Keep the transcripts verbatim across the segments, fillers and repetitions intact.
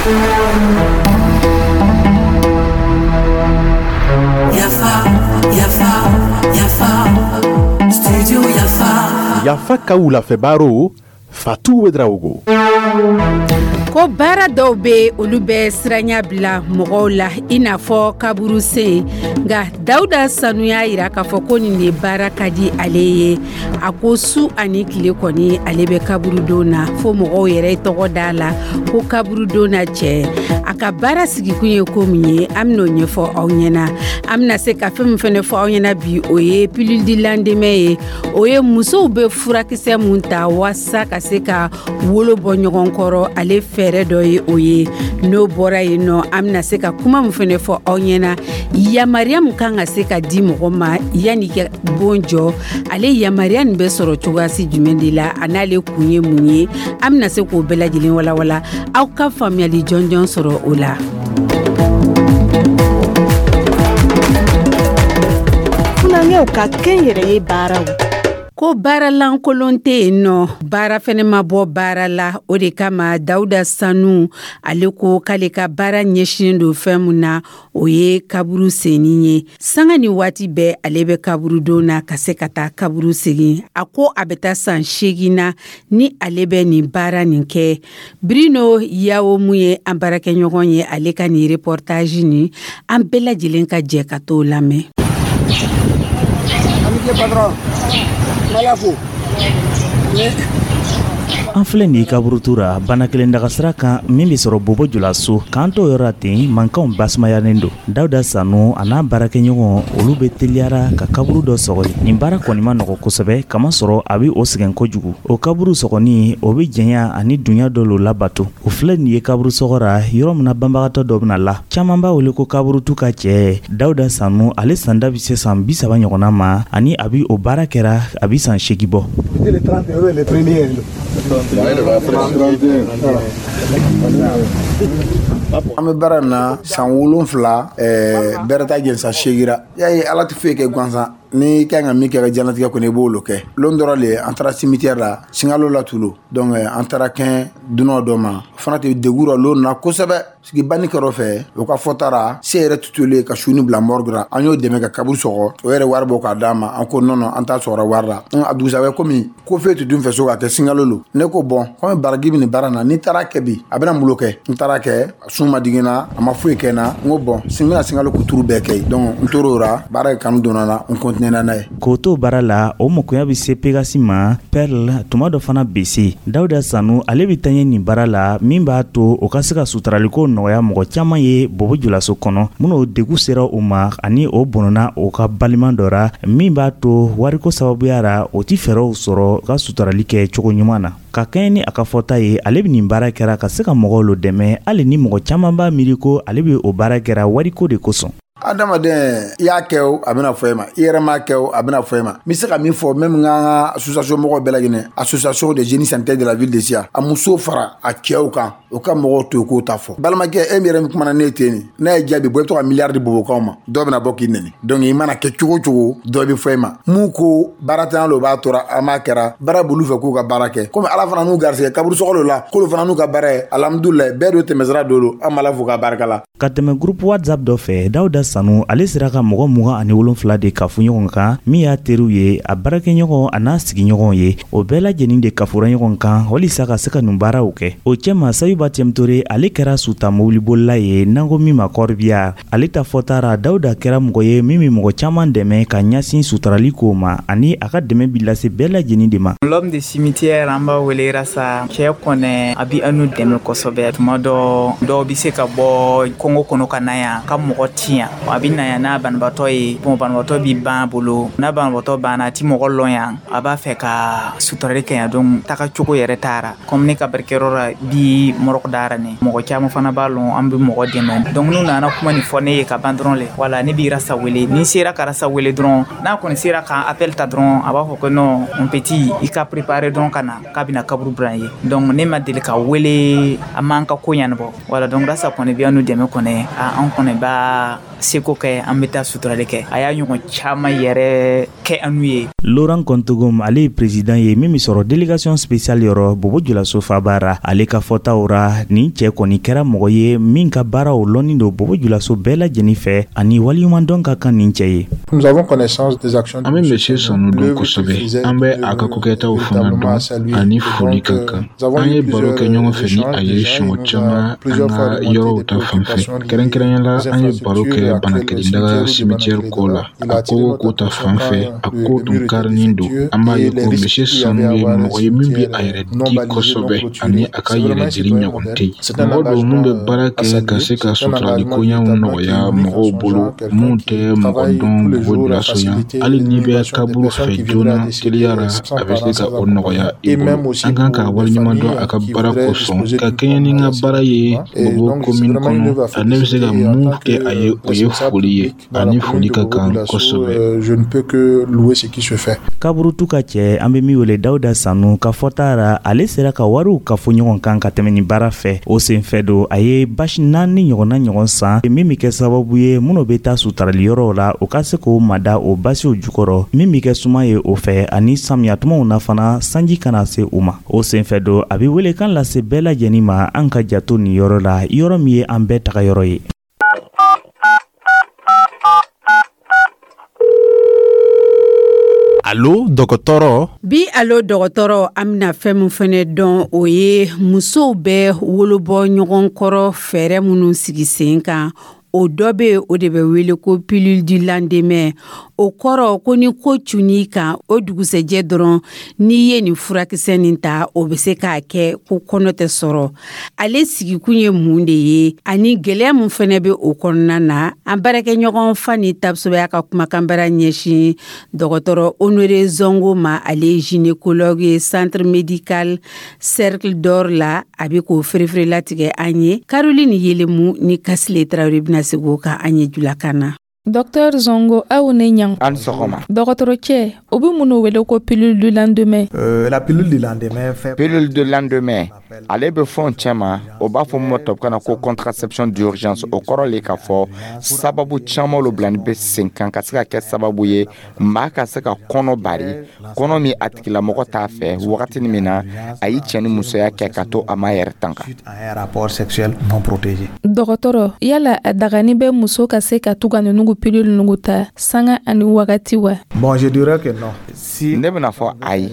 Yafa, Yafa, Yafa, Studio Yafa. Yafa ka wulafɛ baro, Fatu Ouedraogo. Ko baara dɔw bɛ, olu bɛ siranya bila mɔgɔw la, i n'a fɔ kaburu sen. Nka Dawuda Sanu y'a jira k'a fɔ ko nin de baara ka di ale ye. A ko su ani tile kɔni, ale bɛ kaburudon na, fo mɔgɔw yɛrɛ tɔgɔ da la ko kaburudon na cɛ. A ka baara sigikun ye ko min ye, an bɛn'o ɲɛfɔ aw ɲɛna. An bɛna se ka fɛn min fana fɔ aw ɲɛna bi, o ye pilule du lendemain ye. O ye musow bɛ furakisɛ mun ta walasa ka se ka wolo bɔ ɲɔgɔn kɔrɔ, ale fɛɛrɛ dɔ ye o ye. N'o bɔra yen nɔ, an bɛna se ka kuma min fana fɔ aw ɲɛna, yamaruya min kan ka se ka di mɔgɔ ma yanni ka bon jɔ, ale yamaruya nin bɛ sɔrɔ cogoyasi jumɛn de la, a n'ale kun ye mun ye, an bɛna se k'o bɛɛ lajɛlen walawala, aw ka faamuyali jɔnjɔn sɔrɔ o la. Funankɛw ka kɛnyɛrɛye baaraw. Ko baara lankolon tɛ yen nɔ, baara fɛnɛ ma bɔ baara la. O de kama Dawuda Sanu, ale ko k'ale ka baara ɲɛsinnen don fɛn mun na, o ye kaburu senni ye. Sanga ni waati bɛɛ, ale bɛ kaburudon na ka se ka taa kaburu segin. A ko a bɛ taa san seegin na ni ale bɛ nin baara nin kɛ. Brino Yawo, mun ye an baarakɛɲɔgɔn ye, ale ka nin reportage nin, an bɛɛ lajɛlen ka jɛ ka t'o lamɛn. Patron, fo. An filɛ nin ye kaburutu ra, bana kelen daga sira kan min bɛ sɔrɔ Bobo Julaso. K'an to yɔrɔ ten, mankanw basumayalen don. Dawuda Sanu a n'a baarakɛɲɔgɔn, olu bɛ teliyara ka kaburu dɔ sɔgɔ. Nin baara kɔni ma nɔgɔ kosɛbɛ, kamasɔrɔ a bɛ o sɛgɛn kojugu. O kaburu sɔgɔni, o bɛ janya ani dunya dɔ lo labato. O filɛ nin ye kaburu sɔgɔ ra, yɔrɔ min na banbagatɔ dɔ bɛna la, caman b'a wele ko kaburutu ka cɛ. Dawuda Sanu, ale sanda bɛ se san bi saba ɲɔgɔnna ma, ani a bɛ o baara kɛra a bɛ san seegin bɔ. An bɛ baara in na san wolonfila, bɛrɛ t'a jɛ san seegin ra. Y'a ye, Ala tɛ foyi kɛ gansan. Ni ka kan ka min kɛ ka diɲɛlatigɛ kɔnɔ, i b'o kɛ. Lon dɔrɔn le, an taara cimetière la, Sinkalo la Tulu. Donc an taara kɛn dunan dɔ ma, o fana tɛ degun rɔ lon na kosɛbɛ. Sigi banni kɛrɛ fɛ, o ka fɔta ra, se yɛrɛ tutuli ka su ni bila morgue ra. An y'o dɛmɛ ka kaburu sɔgɔ, o yɛrɛ wari bɔ k'a d'a ma. An ko non non, an t'a sɔgɔra wari la. A dugusajɛ, komi ko foyi tɛ dun fɛ so ka kɛ Sinkalo lo, ne ko bon, komi baraji bɛ nin baara na, ni taara kɛ bi, a bɛna mun kɛ? N taara kɛ, sun ma digi n na, a ma foyi kɛ n na. N ko bon, n bɛna Sinkalo kuturu bɛɛ kɛ. Donc n tor'o ra, baara kanu donna n na, n continué n'a ye. K'o to baara la, o mɔkoya bɛ se Pegasi ma, Perle, tuma dɔ fana bese. Dawuda Sanu, ale bɛ taa ɲɛ nin baara la min b'a to o ka se ka suturaliko nɔgɔya mɔgɔ caman ye Bobo Julaso kɔnɔ, minnu degun sera u ma ani o bɔnna o ka balima dɔ ra, min b'a to wariko sababuya ra, o ti fɛɛrɛw sɔrɔ ka suturali kɛ cogo ɲuman na. Ka kɛɲɛ ni a ka fɔta ye, ale bɛ nin baara kɛra ka se ka mɔgɔw lo dɛmɛ, hali ni mɔgɔ caman b'a miiri ko ale bɛ o baara kɛra wariko de kosɔn. Adamaden, i y'a kɛ o, a bɛna fɔ e ma. I yɛrɛ m'a kɛ o, a bɛna fɔ e ma. N bɛ se ka min fɔ même, n ka association mɔgɔw bɛɛ lajɛlen, association des jeunes sanitaires de la ville de Sia, a musow fara a cɛw kan, o ka mɔgɔw to yen k'o ta fɔ. Balimakɛ, e min yɛrɛ min kumana ne ye ten nin, n'a ye jaabi bɔ, i bɛ to ka miliyari di bobokaw ma, dɔw bɛna bɔ k'i nɛni. Donc i mana kɛ cogo o cogo, dɔ bɛ fɔ e ma. Mun ko baaratanya lo b'a tora, an b'a kɛra baara b'olu fɛ k'u ka baara kɛ. Komi Ala fana n'u garisɛgɛ kaburu sɔgɔ la, k'olu fana n'u ka baara ye, alhamdulilayi, bɛɛ don tɛmɛsira dɔ don. An b'Ala fo k'a barika la. Ka tɛmɛ groupe WhatsApp dɔ fɛ, Dawuda Sanu, ale sera ka mɔgɔ mugan ani wolonfila de kafo ɲɔgɔn kan, min y'a teriw ye, a baarakɛɲɔgɔn a n'a sigiɲɔgɔnw ye. O bɛɛ lajɛlen de kafora ɲɔgɔn kan walisa ka se ka nin baaraw kɛ. O cɛma, Sayuba Tɛmtore, ale kɛra suta mobilibolila ye, n'an ko min ma corbillard. Ale ta fɔta ra, Dawuda kɛra mɔgɔ ye min bɛ mɔgɔ caman dɛmɛ ka ɲɛsin suturali kow ma, ani a ka dɛmɛ bi lase bɛɛ lajɛlen de ma. L'homme de cimetière, an b'a wele Rasa. Cɛ kɔnɛ, a bi anu dɛmɛ kosɛbɛ. Tuma dɔ, dɔw bi se ka bɔ kungo kɔnɔ ka na yan ka mɔgɔ ti yan, a bi na yan n'a banabaatɔ ye. Bon, banabaatɔ bi ban a bolo. N'a banabaatɔ banna, a ti mɔgɔ lɔn yan, a b'a fɛ ka suturali kɛ yan. Donc taga cogo yɛrɛ taara. Comme ne ka baarakɛyɔrɔ la bi morgue dara ne, mɔgɔ caman fana b'a lɔn, an bɛ mɔgɔ dɛmɛ. Donc n'u nana kuma nin fɔ ne ye ka ban dɔrɔn le, wala ne b'i Rasa wele. Ni sera ka Rasa wele dɔrɔn, n'a kɔni sera ka appel ta dɔrɔn, a b'a fɔ ko non, mon petit, i ka préparer dɔrɔn ka na, k'a bɛna kaburu bila ye. Donc ne ma deli ka wele, a m'an ka ko ɲɛnabɔ. Wala, donc Rasa kɔni bɛ anu dɛmɛ kɔni, an kɔni b'a seko kɛ, an bɛ taa suturali kɛ. A y'a ɲɔgɔn caman yɛrɛ kɛ anu ye. Laurent Kontogom, ale ye président ye min bɛ sɔrɔ délégation spéciale yɔrɔ Bobo Julaso fabara. Ale ka fɔtaw ra, nin cɛ kɔni kɛra mɔgɔ ye min ka baaraw lɔnni don Bobo Julaso bɛɛ lajɛlen fɛ, ani waleɲumandɔn ka kan nin cɛ ye. An bɛ Monsieur Sanu dɔn kosɛbɛ, an bɛ a ka kokɛtaw fana dɔn, ani foli ka kan. An ye baro kɛ ɲɔgɔn fɛ ni a ye siɲɛ caman an ka yɔrɔw ta fan fɛ. Kɛrɛnkɛrɛnnenya la, an ye baro kɛ Banakelendaga cimetière ko la, a kogo ko ta fan fɛ, a ko tun karinin don. An b'a ye ko Monsieur Sanu ye mɔgɔ ye min bɛ a yɛrɛ di kosɛbɛ, ani a ka yɛrɛdili ɲɔgɔn tɛ yen. Mɔgɔ don min bɛ baara kɛ ka se ka suturali koɲɛw nɔgɔya mɔgɔw bolo minnu tɛ mɔgɔ dɔn Bobo Julaso yan. Hali n'i bɛ kaburu fɛ joona teliya la, a bɛ se ka o nɔgɔya i bolo. An kan k'a waleɲuman dɔn a ka baara kosɔn ka kɛɲɛ ni n ka baara ye Bobo commune kɔnɔ. Ne bɛ se ka mun kɛ a ye, o ye foli ye, ani foli ka kan kosɛbɛ. Kaburutu ka cɛ, an bɛ min wele Dawuda Sanu ka fɔta ra, ale sera ka wariw ka fɔ ɲɔgɔn kan ka tɛmɛ nin baara fɛ. O senfɛ don, a ye basi naani ɲɔgɔnna ɲɔgɔn san min bɛ kɛ sababu ye minnu bɛ taa sutarali yɔrɔw la, o ka se k'o mada o basiw jukɔrɔ, min bɛ kɛ suma ye o fɛ, ani samiya tumaw na fana, sanji kana se u ma. O senfɛ don, a bɛ welekan lase bɛɛ lajɛlen ma, an ka jato nin yɔrɔ la, yɔrɔ min ye an bɛɛ taga yɔrɔ ye. Alo dɔgɔtɔrɔ. Bi alo dɔgɔtɔrɔ, an bɛna fɛn min fɛnɛ dɔn, o ye musow bɛ wolobɔ ɲɔgɔn kɔrɔ fɛɛrɛ minnu sigi sen kan. O dɔ bɛ yen, o de bɛ wele ko pilule du lendemain. O kɔrɔ ko ni ko cunn'i kan, o dugusɛjɛ dɔrɔn, n'i ye nin furakisɛ nin ta, o bɛ se k'a kɛ ko kɔnɔ tɛ sɔrɔ. Ale sigikun ye mun de ye, ani gɛlɛya mun fɛnɛ bɛ o kɔnɔna na? An baarakɛɲɔgɔn Fani Tapsoba ka kumakanbara ɲɛsin dɔgɔtɔrɔ Honoré Zongo ma. Ale ye gynécologue ye centre médical Cercle d'Or la. A bɛ k'o ferefere latigɛ an ye. Caroline Yelemu ni Kasile Tarawele bɛna segin o kan an ye julakan na. Docteur Zongo, aw ne ɲan. An sɔgɔma. Dɔgɔtɔrɔ cɛ, o bɛ minnu wele ko pilule du lendemain? Euh, la pilule du lendemain fait... Pilule du lendemain, ale bɛ fɛnw cɛma, o b'a fɔ mun ma tubabukan na ko contraception d'urgence. O kɔrɔ le k'a fɔ sababu caman lo bilani bɛ sen kan ka se ka kɛ sababu ye maa ka se ka kɔnɔ bari, kɔnɔ min a tigilamɔgɔ t'a fɛ, wagati min na a y'i cɛ ni musoya kɛ ka to a ma yɛrɛ tanga. Rapport sexuel non protégé. Dɔgɔtɔrɔ, yala a dagani bɛ muso ka se ka to ka ninnu pilule ninnu ta sanga ani wagati wa? Bon, je dirais que non. Si ne bɛna fɔ ayi.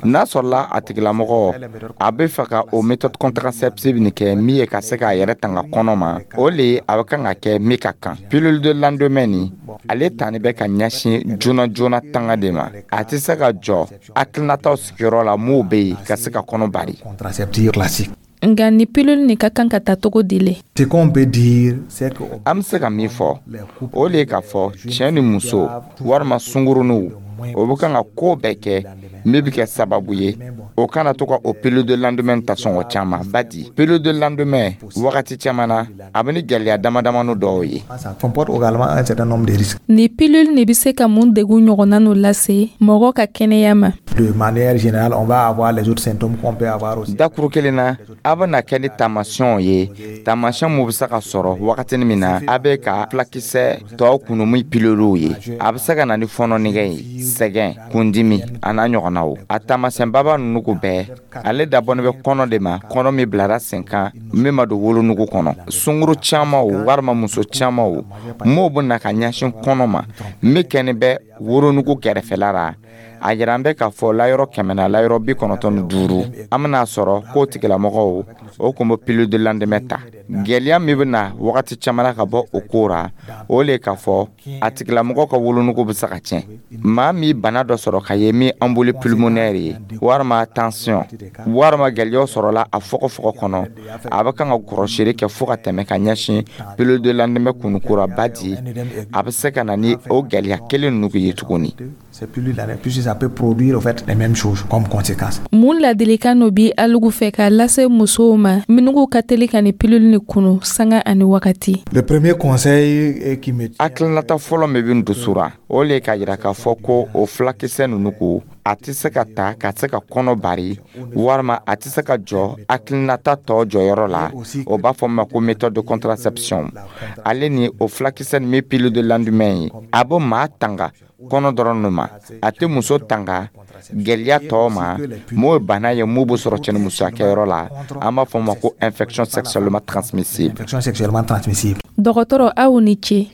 N'a sɔrɔla a tigilamɔgɔ a bɛ fɛ ka o méthode contraceptive nin kɛ min ye ka se k'a yɛrɛ tanga kɔnɔ ma, o le a bɛ kan ka kɛ min ka kan. Pilule de lendemain nin, ale tani bɛ ka ɲɛsin joona joona tanga de ma. A tɛ se ka jɔ hakilinataw sigiyɔrɔ la m'o bɛ yen ka se ka kɔnɔ bari. Contraceptive classique. Nka ni pilule nin ka kan ka ta cogo di le? Ce qu'on peut dire, c'est que an bɛ se ka min fɔ, o le ye k'a fɔ cɛ ni muso walima sunkuruninw, o bɛ kan ka ko bɛɛ kɛ min bɛ kɛ sababu ye o kana to ka o pilule de lendemain ta sɔngɔ caman. Badi pilule de lendemain, wagati caman na, a bɛ ni gɛlɛya dama damani dɔw ye. Ça comporte également un certain nombre de risques. Ni pilule nin bɛ se ka mun degun ɲɔgɔnna n'o lase mɔgɔ ka kɛnɛya ma? De manière générale, on va avoir les autres symptômes qu'on peut avoir aussi. Dakuru kelen na, a bɛna kɛ ni taamasiyɛnw ye, taamasiyɛn mun bɛ se ka sɔrɔ wagatinin min na a bɛ ka fulakisɛ tɔw kunu min piluliw ye. A bɛ se ka na ni fɔɔnɔnɛgɛ ye, sɛgɛn, kundimi, a n'a ɲɔgɔnnaw. A taamasiyɛnbaba ninnu ko bɛɛ, ale dabɔnen bɛ kɔnɔ de ma, kɔnɔ min bilara sen kan min ma don wolonugu kɔnɔ. Sunkuru caman o walima muso caman o m'o bɛ na ka ɲɛsin kɔnɔ ma min kɛni bɛ wolonugu kɛrɛfɛla la. A yira an bɛ k'a fɔ layɔrɔ kɛmɛ na layɔrɔ bi kɔnɔntɔn ni duuru, an bɛna sɔrɔ k'o tigilamɔgɔw o kun bɛ pilule de lendemain ta. Gɛlɛya min bɛ na wagati caman na ka bɔ o ko ra, o le k'a fɔ a tigilamɔgɔ ka wolonugu bɛ se ka tiɲɛ. Maa min bana dɔ sɔrɔ ka ye min embolie pulmonaire ye walima tension walima gɛlɛyaw sɔrɔla a fɔgɔfɔgɔ kɔnɔ, a bɛ kan ka kɔrɔsiri kɛ fo ka tɛmɛ ka ɲɛsin pilule de lendemain kunuko ra. Badi a bɛ se ka na ni o gɛlɛya kelen ninnu ye tuguni. Ces pilules-là, puisque ça peut produire en fait les mêmes choses comme conséquence. Mun ladilikan no bi alugu fɛ k'a lase musow ma minnu ka teli ka ni pilule ni kunu sanga ani wagati? Le premier conseil qui me Hakilinata fɔlɔ min bɛ n dusu ra, O le k'a yira k'a fɔ ko o fulakisɛ ninnu ko a tɛ se ka ta ka se ka kɔnɔ bari, walima a tɛ se ka jɔ hakilinata tɔ jɔyɔrɔ la. O b'a fɔ ma ko méthode de contraception. Ale ni o fulakisɛ nin min pilule de lendemain ye, a bɛ maa tanga kɔnɔ dɔrɔn de ma, a tɛ muso tanga gɛlɛya tɔw ma. M'o ye bana ye mun bɛ sɔrɔ cɛnimusoya kɛyɔrɔ la, an b'a fɔ ma ko infection sexuellement transmissible. Infection sexuellement transmissible. Dɔgɔtɔrɔ, aw ni ce.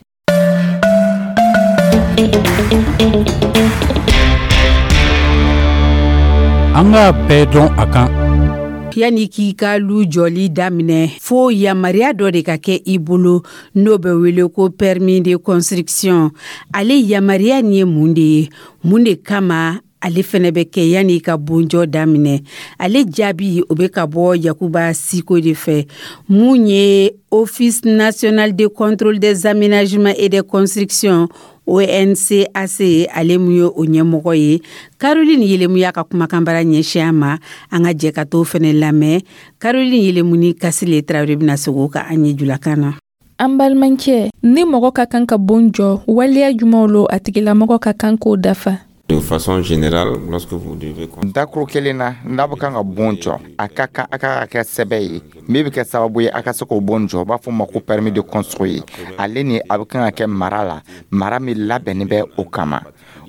An k'a bɛɛ dɔn a kan. Yanni k'i ka lu jɔli daminɛ, fo yamaruya dɔ de ka kɛ i bolo, n'o bɛ wele ko permis de construction. Ale yamaruya nin ye mun de ye? Mun de kama ale fɛnɛ bɛ kɛ yanni i ka bonjɔ daminɛ? Ale jaabi, o bɛ ka bɔ Yakuba Siko de fɛ, mun ye Office national de contrôle des aménagements et des constructions, O N C A C, ale mun ye o ɲɛmɔgɔ ye. Caroline Yelemu y'a ka kumakanbara ɲɛsin a ma. An ka jɛ ka t'o fɛnɛ lamɛn. Caroline Yelemu ni Kasile Tarawele bɛna segin o kan an ye julakan na. An balimakɛ, ni mɔgɔ ka kan ka bon jɔ, waleya jumɛnw lo a tigilamɔgɔ ka kan k'o dafa? De façon générale, lorsque vous devez Dakuru kelen na, n'a bɛ kan ka bon jɔ, a ka kan a ka kɛ sɛbɛn ye min bɛ kɛ sababu ye a ka se k'o bon jɔ, u b'a fɔ o ma ko permis de construire. Ale ni a bɛ kan ka kɛ mara la, mara min labɛnnen bɛ o kama.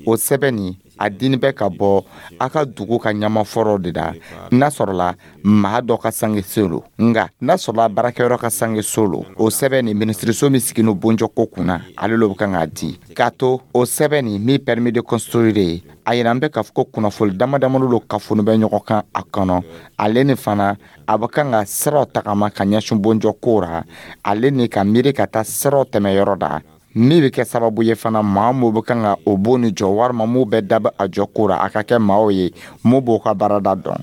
O sɛbɛn nin, a dini bɛ ka bɔ a ka dugu ka ɲamafɔrɔ de la, n'a sɔrɔla maa dɔ ka sange so lo, nka n'a sɔrɔla baarakɛyɔrɔ ka sange so lo. O sɛbɛn nin, minisiriso min sigin bonjɔ ko kunna, ale lo bɛ kan k'a di. K'a to o sɛbɛn nin min permis de construire ye, a yira an bɛ k'a fɔ ko kunnafoni dama damani lo kafoni bɛ ɲɔgɔn kan a kɔnɔ. Ale ni fana a bɛ kan ka siraw tagama ka ɲɛsin bonjɔ ko ra, ale ni ka miiri ka taa siraw tɛmɛ yɔrɔ da min bɛ kɛ sababu ye fana, maa mun bɛ kan ka o bon ni jɔ, walima mun bɛ dabɔ a jɔ ko ra, a ka kɛ maaw ye mun b'o ka baarada dɔn.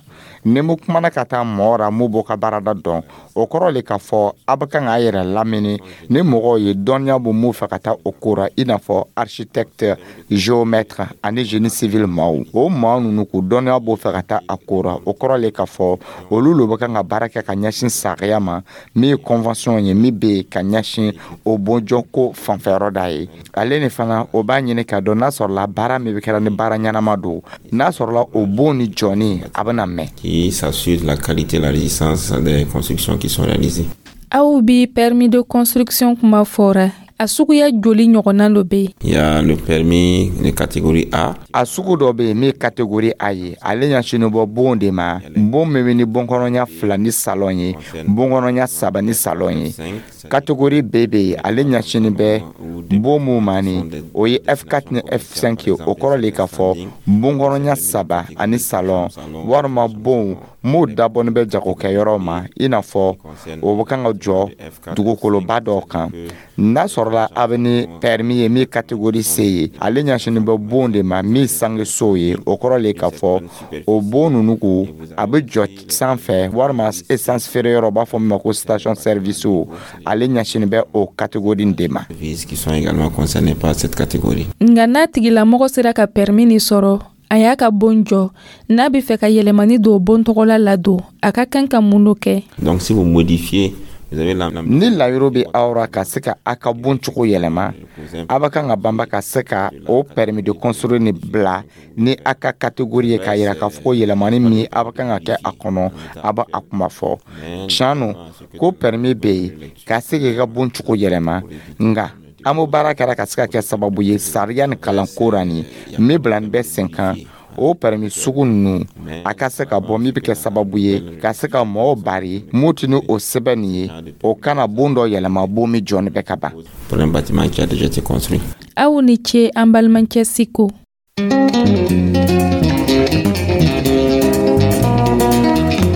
Ni mun kumana ka taa mɔgɔ ra mun b'o ka baarada dɔn, o kɔrɔ le k'a fɔ a bɛ kan k'a yɛrɛ lamini ni mɔgɔw ye dɔnniya b'u mun fɛ ka taa o ko ra, i n'a fɔ architecte, géomètre ani génie civil maaw. O maa ninnu k'u dɔnniya b'o fɛ ka taa a ko ra, o kɔrɔ le k'a fɔ olu lo bɛ kan ka baara kɛ ka ɲɛsin sariya ma min ye convention ye min bɛ yen ka ɲɛsin o bonjɔko fanfɛyɔrɔ da ye. Ale ni fana o b'a ɲini k'a dɔn n'a sɔrɔla baara min bɛ kɛra ni baara ɲɛnama don, n'a sɔrɔla o bon ni jɔni a bɛna mɛn. Qui s'assure de la qualité et la résistance des constructions qui sont réalisées. Aw bi permis de construction kuma fɔra, a suguya joli ɲɔgɔnna dɔ bɛ yen? Il y a le permis de catégorie A. A sugu dɔ bɛ yen min ye catégorie A ye, ale ɲɛsinnen bɔ bon de ma, bon min bɛ ni bonkɔnɔnya fila ni salon ye, bonkɔnɔnya saba ni salon ye. Catégorie B bɛ yen, ale ɲɛsinnen bɛ bon mun ma ni o ye F quatre ni F cinq ye. O kɔrɔ le k'a fɔ bonkɔnɔnya saba ani salon, walima bon m'o dabɔnin bɛ jagokɛyɔrɔ ma, i n'a fɔ o bɛ kan ka jɔ dugukoloba dɔw kan. N'a sɔrɔla a bɛ ni permis ye min catégorie C ye, ale ɲɛsinnen bɛ bon de ma min sange so ye. O kɔrɔ le k'a fɔ o bon ninnu ko a bɛ jɔ sanfɛ, walima essence feere yɔrɔ, u b'a fɔ min ma ko station service, ale ɲɛsinnen bɛ o catégorie de ma. Qui sont également concernés par cette catégorie. Nka n'a tigilamɔgɔ sera ka permis nin sɔrɔ, a y'a ka bon jɔ, n'a bɛ fɛ ka yɛlɛmani don bon tɔgɔla la don, a ka kan ka mun do kɛ? Donc si vous modifiez, ni layiro bɛ aw ra ka se ka a ka bon cogo yɛlɛma, a bɛ kan ka banba ka se ka o permis de construire ni bila ni a ka catégorie ye, k'a yira k'a fɔ ko yɛlɛmani min a bɛ kan ka kɛ a kɔnɔ, a bɛ a kuma fɔ. Tiɲɛ no ko permis bɛ yen ka se k'i ka bon cogo yɛlɛma, nka an b'o baara kɛra ka se ka kɛ sababu ye sariya ni kalanko ra nin min bila nin bɛ sen kan, o permis sugu ninnu a ka se ka bɔ min bɛ kɛ sababu ye ka se ka mɔgɔw bari mun tɛ ni o sɛbɛn nin ye, o kana bon dɔ yɛlɛma bon min jɔni bɛ ka ban. Pour un bâtiment qui a déjà été construit. Aw ni ce, an balimakɛ Siko.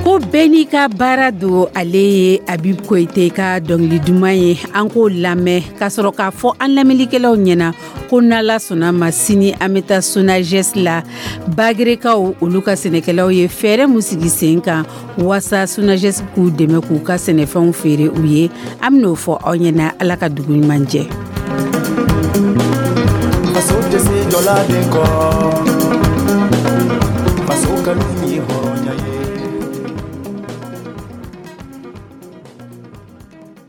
Ko bɛɛ n'i ka baara don. Ale ye Habib Koyite ka dɔnkili duman ye, an k'o lamɛn ka sɔrɔ k'a fɔ an lamɛnnikɛlaw ɲɛna ko n'Ala sɔnna ma, sini an bɛ taa SONAGES la. Bagerekaw, olu ka sɛnɛkɛlaw ye fɛɛrɛ mun sigi sen kan waasa SONAGES k'u dɛmɛ k'u ka sɛnɛfɛnw feere u ye, an bɛn'o fɔ aw ɲɛna. Ala ka dugu ɲuman jɛ. Faso tɛ se jɔla den kɔ, faso kanu ye hɔrɔnya ye.